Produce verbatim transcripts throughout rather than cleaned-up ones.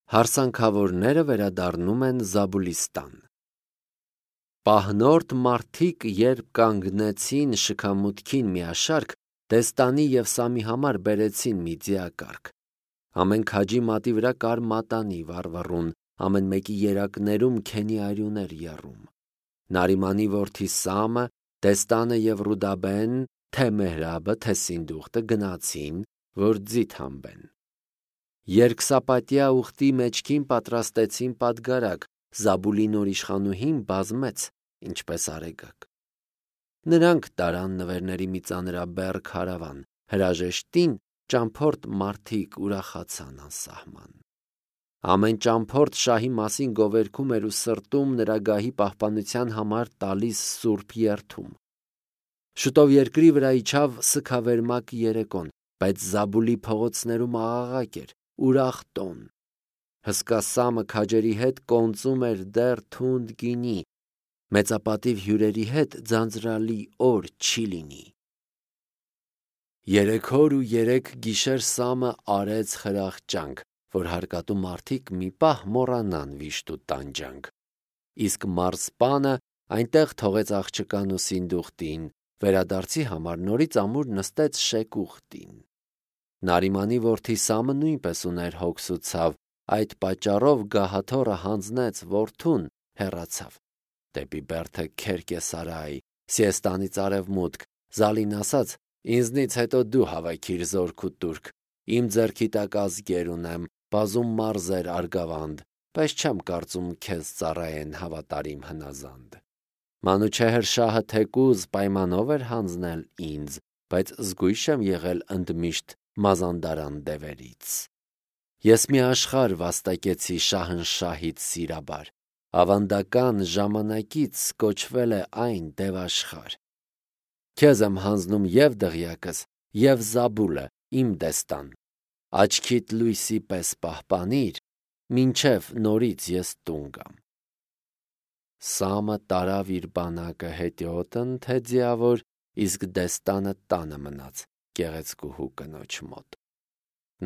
Հարսանքավորները վերադառնում են Զաբուլիստան։ Պահնորդ մարդիկ, երբ կանգնեցին շքամուտքին միաշարք, Դեստանի և Սամի համար բերեցին մի ձիակառք։ Ամեն քաջի մատի վրա կար մատանի վառվռուն, ամեն մեկի երակներում քենի արյուններ եռում։ Նարիմանի որդի Սամը, Դեստանը և Ռուդաբեն, թե Մեհրաբը, թե Սինդուխտը գնացին, որ ձի թամբեն։ Երկսապատյա ուխտի մեջքին պատրաստեցին պատգարակ, Զաբուլի նորիշխանուհին բազմեց, ինչպես արեգակ։ Նրանք տարան նվերների մի ծանրաբեռ քարավան, հրաժեշտին ճամփորդ մարդիկ ուրախացան անսահման։ Ամեն ճամփորդ շահի մասին գովերգում էր ու սրտում նրա գահի պահպանության համար տալիս սուրբ երդում։ Շուտով երկրի վրա իջավ սգավերմակ երեկոն, բայց Զաբուլի փողոցներում աղաղակ էր, ուրախ տոն։ Հսկա Սամը քաջերի հետ կոնծում էր դեռ թունդ գինի, մեծապատիվ հյուրերի հետ ձանձրալի օր չի լինի։ Երեք օր ու երեք գիշեր Սամը արեց խրախճանք, որ հարկատու մարդիկ մի պահ մոռանան վիշտ ու տանջանք։ Իսկ մարզպանը այնտեղ թողեց աղջկան ու Սինդուխտին, վերադարձի համար նորից ամուր նստեց շեկ ուխտին։ Նարիմանի որդի Սամը նույնպես ուներ հոգս ու ցավ, այդ պատճառով գահաթոռը հանձնեց որդուն, հեռացավ դեպի Բերթե Քերկեսարայ, Սիեստանից արևմուտք, Զալին ասաց. «Ինձնից հետո դու հավաքիր զորք ու տուրք, իմ ձեռքի տակ ազգեր ունեմ, բազում մարզեր արգավանդ, բայց չեմ կարծում քեզ ծառայեն հավատարիմ հնազանդ»։ Մանուչեհր շահը թեկուզ պայմանով էր հանձնել ինձ, բայց զգույշ եմ եղել ընդմիշտ մազանդարան դևերից։ Ես մի աշխարհ վաստակեցի Շահնշահից սիրաբար, ավանդական ժամանակից կոչվել է այն դևաշխարհ։ Քեզ եմ հանձնում և դղյակս, և Զաբուլը, իմ Դեստան, աչքիդ լույսի պես պահպանիր, մինչև նորից ես տուն գամ։ Սամը տարավ իր բանակը հետիոտն թե ձիավոր, իսկ Դեստանը տանը մնաց գեղեցկուհու կնոջ մոտ։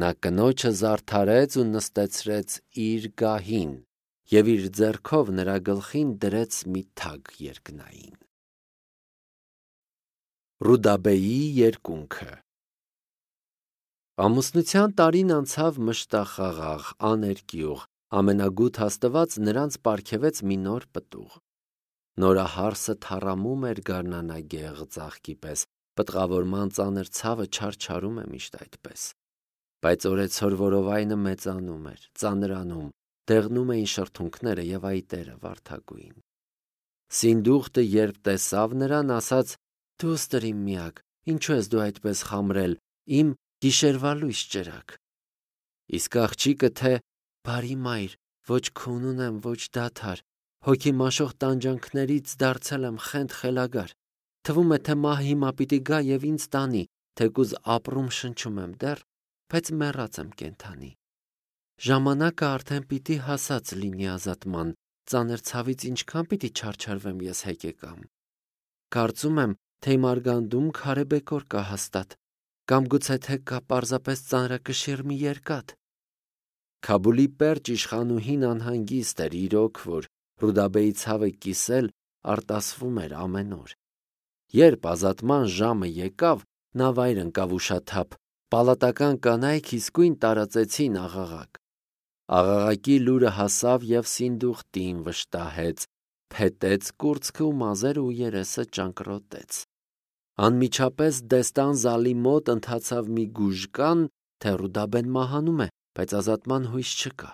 Նա կնոջը զարդարեց ու նստեցրեց իր գահին և իր ձեռքով նրա գլխին դրեց մի թագ երկնային։ Ռուդաբեի երկունքը։ Ամուսնության տարին անցավ մշտախաղաղ, աներկյուղ, ամենագութ Աստված նրանց պարգևեց մի նոր պտուղ։ Նորահարսը թառամում էր գարնանագեղ ծաղկի պես, պտղավորման ծանր ցավը չարչարում է միշտ այդպես։ Բայց օրեցօր որովայնը մեծանում էր, ծանրանում, դեղնում էին շրթունքները և այտերը վարդագույն։ Սինդուխտը երբ տեսավ նրան, ասաց. «Դուստր իմ միակ, ինչու ես դու այդպես խամրել, իմ գիշերվա լույս ճրակ»։ Իսկ աղջիկը թե. «Բարի մայր, ոչ քուն ունեմ, ոչ դադար, հոգի մաշող տանջանքներից դարձել եմ խենթ խելագար, թվում է, թե մահը հիմա պիտի գա և ինձ տանի, թեկուզ ապրում շնչում եմ դեռ, բայց մեռած եմ կենդանի։ Ժամանակը արդեն պիտի հասած լինի ազատման, ծանր ցավից ինչքան պիտի չարչարվեմ ես հեկեկամ։ Կարծում եմ, թե իմ արգանդում քարե բեկոր կա հաստատ, կամ գուցե թե կա պարզապես ծանրակշիռ մի երկաթ»։ Քաբուլի պերճ իշխանուհին անհանգիստ էր իրոք, որ Ռուդաբեի ցավը կիսել արտասվում էր ամեն օր։ Երբ ազատման ժամը եկավ, նա վայր ընկավ ուշաթափ, պալատական կանայք իսկույն տարածեցին աղաղակ։ Աղաղակի լուրը հասավ և Սինդուխտին վշտահեց, փետեց կուրծքը ու մազերը ու երեսը ճանկռոտեց։ Անմիջապես Դեստան Զալի մոտ ընթացավ մի գուժկան, թե Ռուդաբեն մահանում է, բայց ազատման հույս չկա։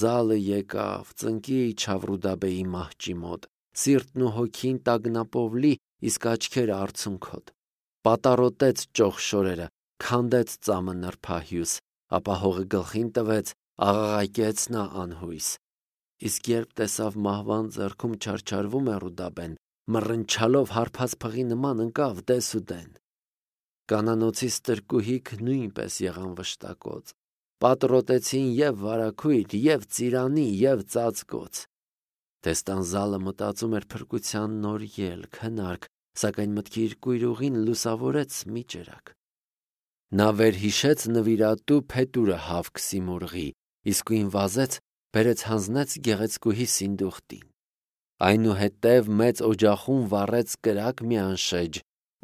Զալը եկավ, ծնկի իջավ Ռուդաբեի մահճի մոտ, սիրտն ու հոգին տագնապով լի, իսկ աչքերը արցունքոտ։ Պատառոտեց ճոխ շորերը, քանդեց ծամը նրբահյուս, ապա հողը գլխին տվեց, աղաղակեց նա անհույս։ Իսկ երբ տեսավ մահվան ձեռքում չարչարվում է Ռուդաբեն, մռնչալով հարբած փղի նման ընկավ դեսուդեն։ Կանանոցի ստրկուհիք նույնպես եղան վշտակոծ, պատռոտեցին և վարագույր, և ծիրանի, և ծածկոց։ Դեստան Զալը մտածում էր փրկության նոր ելք, հնարք, սակայն մտքի իր կույրուղին լուսավորեց մի ճրակ։ Նա վերհիշեց նվիրատու փետուրը Հավք Սիմուրղի, իսկույն վազեց, բերեց հանձնեց գեղեցկուհի Սինդուխտին։ Այնուհետև մեծ օջախում վառեց կրակ մի անշեջ,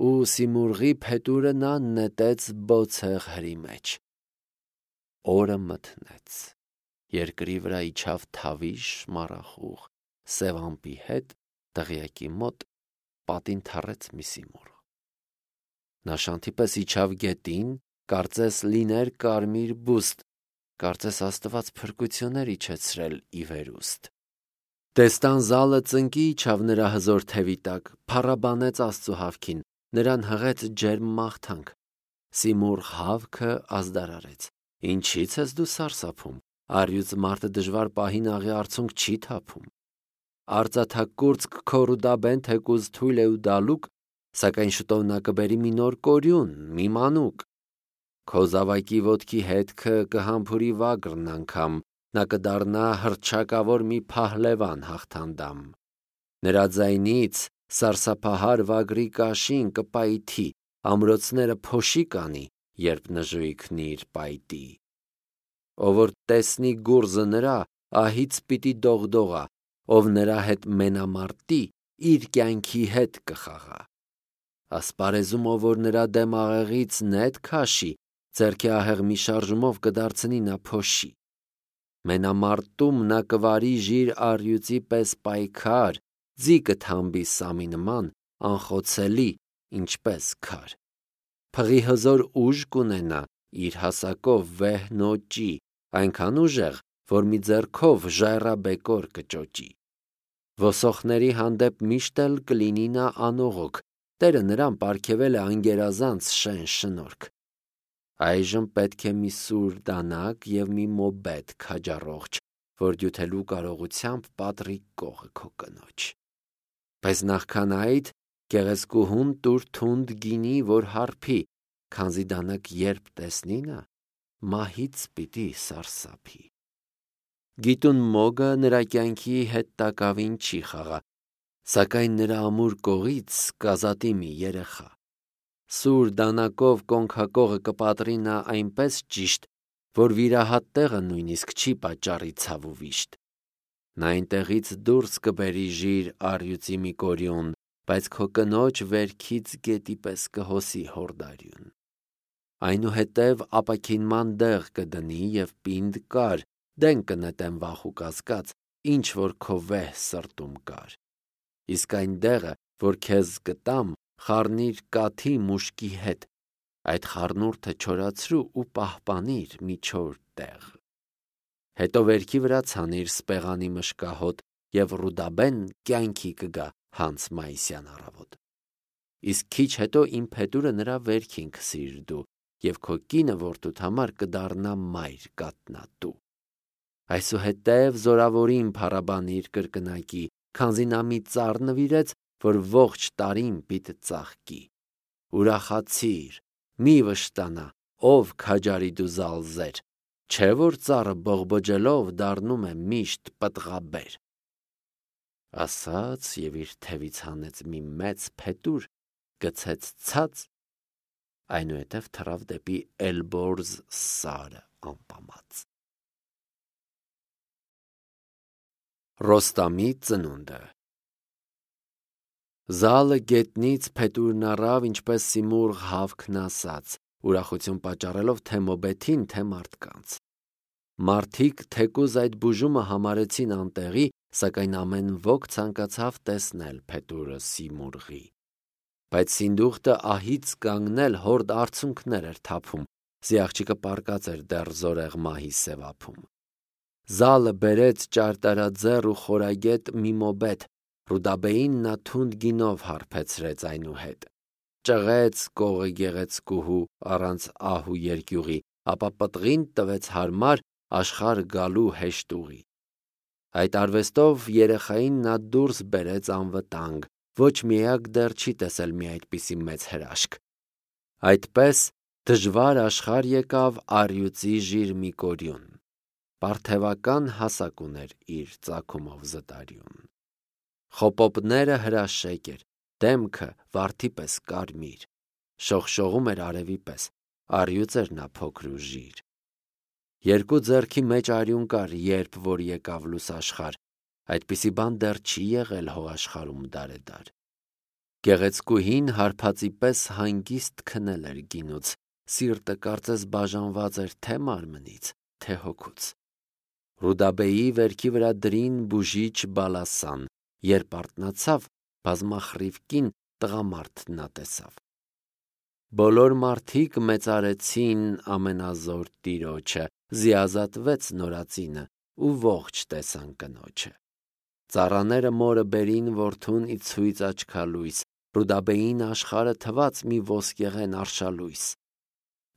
ու Սիմուրղի փետուրը նա նետեց բոցեղ հրի մեջ։ Օրը մթնեց, երկրի վրա իջավ թավիշ մառախուղ, սև ամպի հետ, դղյակի մոտ պատին թռեց մի Սիմուրղ։ Նա շանթի պես իջավ գետին, կարծես լիներ կարմիր բուստ, կարծես Աստված փրկություններ իջեցրել ի վերուստ։ Տեստան զալը ծնկի իջավ նրա հզոր թևի տակ, փառաբանեց Աստծու հավքին, նրան հղեց ջերմ մաղթանք։ Սիմուրղ հավքը ազդարարեց. Ինչի՞ց ես դու սարսափում, առյուծ մարդը դժվար պահին աղի արցունք չի թափում։ Արծաթակուրծք քո Ռուդաբեն թեկուզ թույլ է ու դալուկ, սակայն շուտով նա կբերի մի նոր կորյուն, մի մանուկ։ Քո զավակի ոտքի հետքը կհամբուրի վագրն անգամ, նա կդառնա հռչակավոր մի փահլևան հաղթանդամ։ Նրա ձայնից սարսափահար վագրի կաշին կպայթի, ամրոցները փոշի կանի, երբ նժույգն իր պայտի։ Ով որ տեսնի գուրզը նրա, ահից պիտի դողդողա, ով նրա հետ մենամարտի, իր կյանքի հետ կխաղա։ Ասպարեզում ով որ նրա դեմ աղեղից նետ քաշի, ձեռքի ահեղ մի շարժումով կդարձնի նա փոշի։ Մենամարտում նա կվարի ժիր առյուծի պես պայքար, ձի կթամբի սամի նման, անխոցելի, ինչպես քար։ Փղի հզոր ուժ կունենա, իր հասակով վեհ նոճի, այնքան ուժեղ, որ մի ձեռքով ժայռաբեկոր կճոճի։ Ոսոխների հանդեպ միշտ էլ կլինի նա անողոք, Տերը նրան պարգևել է անգերազանց շեն շնորհք։ Այժմ պետք է մի սուր դանակ և մի մոբետ քաջառողջ, որ դյութելու կարողությամբ պատռի կողը քո կնոջ։ Բայց նախքան այդ գեղեցկուհուն տուր թունդ գինի, որ հարբի, քանզի դանակ երբ տեսնի նա, մահից պիտի սարսափի։ Գիտուն մոգը նրա կյանքի հետ տակավին չի խաղա, սակայն նրա ամուր կողից կազատի մի երեխա։ Սուր դանակով կոնքակողը կպատրի նա այնպես ճիշտ, որ վիրահատ տեղը նույնիսկ չի պատճառի ցավ ու վիշտ։ Նա այնտեղից դուրս կբերի ժիր առյուծի մի կորյուն, բայց քո կնոջ վերքից գետի պես կհոսի հորդարյուն։ Այնուհետև ապաքինման դեղ կդնի և պինդ կար, դեն կնետեմ վախ ու կասկած, ինչ որ քո վեհ սրտում կար։ Իսկ այն դեղը, որ քեզ կտամ, խառնիր կաթի մուշկի հետ, այդ խառնուրդը չորացրու ու պահպանիր մի չոր տեղ։ Հետո վերքի վրա ցանիր սպեղանի մշկահոտ և Ռուդաբեն կյանքի կգա հանց մայիսյան առավոտ։ Իսկ քիչ հետո իմ փետուրը նրա վերքին քսիր դու, և քո կինը որդուդ համար կդառնա մայր կատնատու։ Այսուհետև զորավորին փառաբանիր կրկնակի, քանզի նա մի ծառ նվիրեց, որ ողջ տարին պիտի ծաղկի։ Ուրախացիր, մի վշտանա, ով քաջարի դու զալզեր, չէ որ ծառը բողբոջելով դառնում է միշտ պտղաբեր։ Ասաց և իր թևից հանեց մի մեծ փետուր, գցեց ցած, այնուհետև թռավ դեպի Էլբորզ սարը ամպամած։ Ռոստամի ծնունդը։ Զալը գետնից փետուրն առավ, ինչպես Սիմուրղ հավքն ասաց, ուրախություն պատճառելով թե մոբեթին, թե մարդկանց։ Մարդիկ թեկուզ այդ բուժումը համարեցին անտեղի, սակայն ամեն ոք ցանկացավ տեսնել փետուրը Սիմուրղի։ Բայց Սինդուխտը ահից կանգնել հորդ արցունքներ էր թափում, զի աղջիկը պառկած էր դեռ զորեղ մահի սևափում։ Զալը բերեց ճարտարաձեռ ու խորագետ մի մոբետ, Ռուդաբեին նա թունդ գինով հարբեցրեց այնուհետ։ Ճղեց կողը գեղեցկուհու առանց ահ ու երկյուղի, ապա պտղին տվեց հարմար աշխարհ գալու հեշտ ուղի։ Այդ արվեստով երեխային նա դուրս բերեց անվտանգ, ոչ մի էակ դեռ չի տեսել մի այդպիսի մեծ հրաշք։ Այդպես դժվար աշխարհ եկավ առյուծի ժիր մի կորյուն։ Պարթևական հասակ ուներ իր ծագումով զտարյուն։ Խոպոպները հրաշեկ էր, դեմքը վարդի պես կարմիր, շողշողում էր արևի պես, առյուծ էր նա փոքր ու ժիր։ Երկու ձեռքի մեջ արյուն կար, երբ որ եկավ լուսաշխար, այդպիսի բան դեռ չի եղել հո աշխարհում դարեդար։ Գեղեցկուհին հարբածի պես հանգիստ քնել էր գինուց, սիրտը կարծես բաժանված էր թե մարմնից, թե հոգուց։ Ռուդաբեի վերքի վրա դրին բուժիչ բալասան, երբ արթնացավ, բազմախռիվ կին տղամարդ նա տեսավ։ Բոլոր մարդիկ մեծարեցին ամենազոր Տիրոջը, զիազատվեց նորածինը ու ողջ տեսան կնոջը։ Ծառաները մորը բերին որդուն ի ցույց աչքալույս, Ռուդաբեին աշխարհը թված մի ոսկեղեն արշալույս։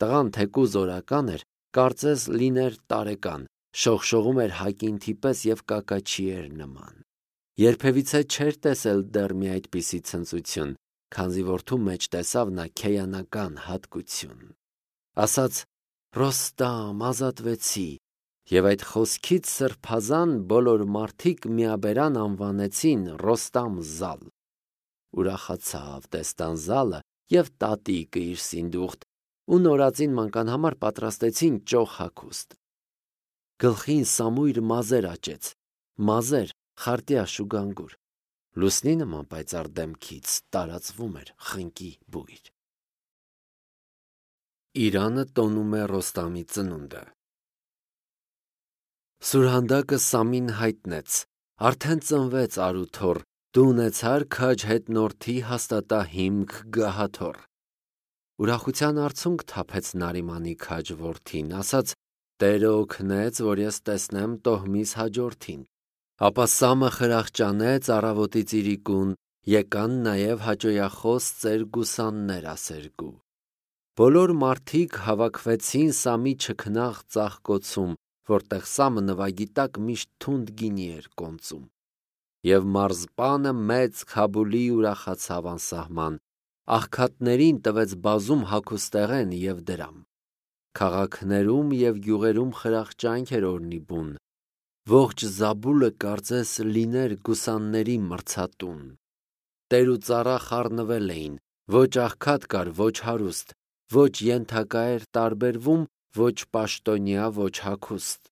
Տղան թեկուզ օրական էր, կարծես լիներ տարեկան, շողշողում էր հակինթի պես և կակաչի էր նման։ Երբևիցե չէր տեսել դեռ մի այդպիսի ցնծություն, քանզի որդու մեջ տեսավ նա քեյանական հատկություն։ Ասաց. «Ռոստամ, ազատվեցի», և այդ խոսքից սրբազան բոլոր մարդիկ միաբերան անվանեցին Ռոստամ Զալ։ Ուրախացավ Տեստանզալը և տատիկը իր սինդուխտ, ու նորածին մանկան համար պատրաստեցին ճոխ հագուստ։ Գլխին սամույր մազեր աճեց, մազեր խարտյա շուգանգուր, լուսնի նման պայծառ դեմքից տարածվում էր խնկի բույր։ Իրանը տոնում է Ռոստամի ծնունդը։ Սուրհանդակը Սամին հայտնեց. արդեն ծնվեց արու թոռ, դու ունեցար քաջ հետնորդի հաստատա հիմք գահաթոռ։ Ուրախության արցունք թափեց Նարիմանի քաջ որդին, ասաց. Տերը օգնեց, որ ես տեսնեմ տոհմիս հաջորդին։ Ապա Սամը խրախճանեց առավոտից իրիկուն, եկան նաև հաճոյախոս ծեր գուսաններ ասերգու։ Բոլոր մարդիկ հավաքվեցին Սամի չքնաղ ծաղկոցում, որտեղ Սամը նվագի տակ միշտ թունդ գինի էր կոնծում։ Եվ մարզպանը մեծ Քաբուլի ուրախացավ անսահման, աղքատներին տվեց բազում հագուստեղեն և դրամ։ Քաղաքներում և գյուղերում խրախճանք էր օրնի բուն, ողջ Զաբուլը կարծես լիներ գուսանների մրցատուն։ Տեր ու ծառա խառնվել էին, ոչ աղքատ կար, ոչ հարուստ, ոչ ենթակա էր տարբերվում, ոչ պաշտոնյա, ոչ հագուստ։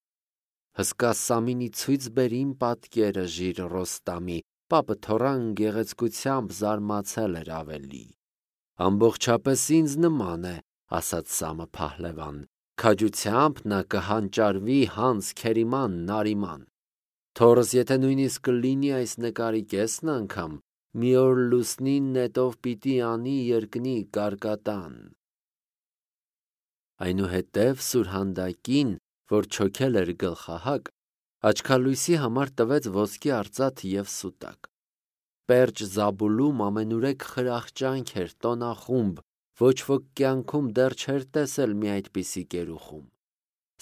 Հսկա Սամինի ցույց բեր իմ պատկերը ժիր Ռոստամի, պապը թոռան գեղեցկությամբ զարմացել էր ավելի։ Ամբողջապես ինձ նման է, ասաց Սամը փահլևան, քաջությամբ նա կհանճարվի հանց Քերիման Նարիման։ Թոռս եթե նույնիսկ կլինի այս նկարի կեսն անգամ, մի օր լուսնին նետով պիտի անի երկնի կարկատան։ Այնուհետև Սուրհանդակին, որ չոքել էր գլխահակ, աչքալույսի համար տվեց ոսկի արծաթ և սուտակ։ Պերճ Զաբուլում ամենուրեք խրախճանք էր, տոնախումբ, ոչ ոք կյանքում դեռ չէր տեսել մի այդպիսի կերուխում։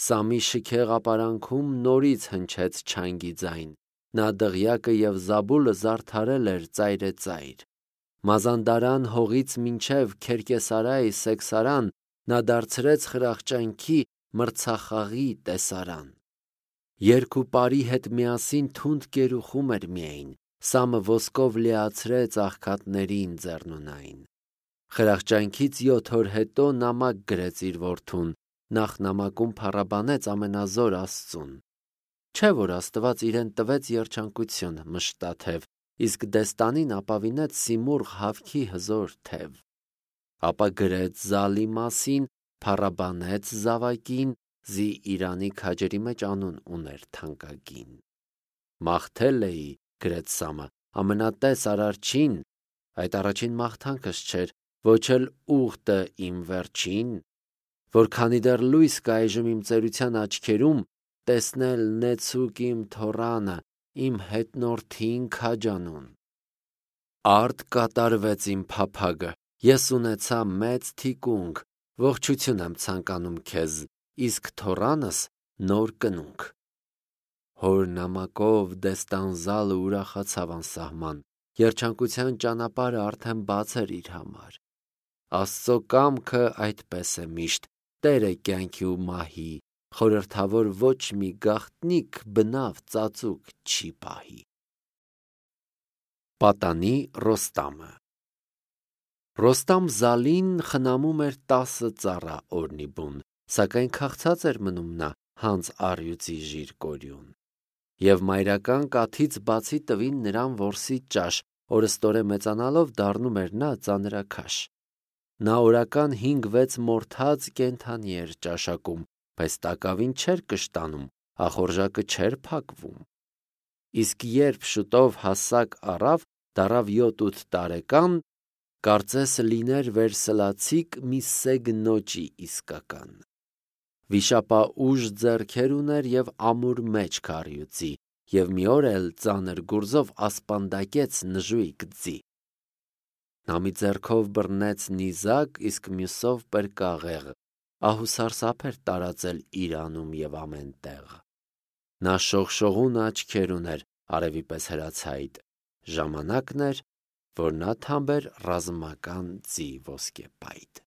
Սամի շքեղ ապարանքում նորից հնչեց չանգի ձայն, նա դղյակը և Զաբուլը զարդարել էր ծայրեծայր։ Մազանդարան հողից մինչև Քերկեսարայ Սեքսարան նա դարձրեց խրախճանքի մրցախաղի տեսարան։ Երգ ու պարի հետ միասին թունդ կերուխում էր միայն, Սամը ոսկով լիացրեց աղքատներին ձեռնունայն։ Խրախճանքից յոթ օր հետո նամակ գրեց իր որդուն, նախ նամակում փառաբանեց ամենազոր Աստծուն։ Չէ՞ որ Աստված իրեն տվեց երջանկություն մշտաթև, իսկ դեստանին ապավինեց սիմուրղ հավքի հզոր թև։ Ապա գրեց Զալի մասին, փառաբանեց զավակին, զի Իրանի քաջերի մեջ անուն ուներ թանկագին։ Մաղթել էի, գրեց Սամը, ամենատես Արարչին, այդ առաջին մաղթանքս չէր, ոչ էլ ուխտը իմ վերջին, որ քանի դեռ լույս կա այժմ իմ ծերության աչքերում, տեսնել նեցուկ իմ թոռանը, իմ հետնորդին քաջանուն։ Արդ կատարվեց իմ փափագը, ես ունեցա մեծ թիկունք, ողջություն եմ ցանկանում քեզ, իսկ թոռանս նոր կնունք։ Հոր նամակով Դեստանզալը ուրախացավ անսահման, երջանկության ճանապարհը արդեն բաց էր իր համար։ Աստծո կամքը այդպես է միշտ, Տեր է կյանքի ու մահի, խորհրդավոր ոչ մի գաղտնիք բնավ ծածուկ չի պահի։ Պատանի Ռոստամը։ Ռոստամ Զալին խնամում էր տասը ծառա օրնի բուն, սակայն քաղցած էր մնում նա, հանց առյուծի ժիրկորյուն։ Եվ մայրական կաթից բացի տվին նրան որսի ճաշ, օրըստորե մեծանալով դառնում էր նա ծանրաքաշ։ Նա օրական հինգ-վեց մորթած կենդանի էր ճաշակում, բայց տակավին չէր կշտանում, ախորժակը չէր փակվում։ Իսկ երբ շուտով հասակ առավ, դառավ յոթ-ութ տարեկան, կարծես լիներ վերսլացիկ մի սեգ նոճի իսկական։ Վիշապաուժ ձեռքեր ուներ և ամուր մեջք առյուծի, և մի օր էլ ծանր գուրզով ասպանդակեց նժույգ ձի։ Նա մի ձեռքով բռնեց նիզակ, իսկ մյուսով պրկաղեղ, ահուսարսափ էր տարածել իր անում և ամեն տեղ։ Նա շողշողուն աչքեր ուներ, արևի պես հրացայտ, ժամանակն էր, որ նա թամբեր ռազմական ձի ոսկեպայտ։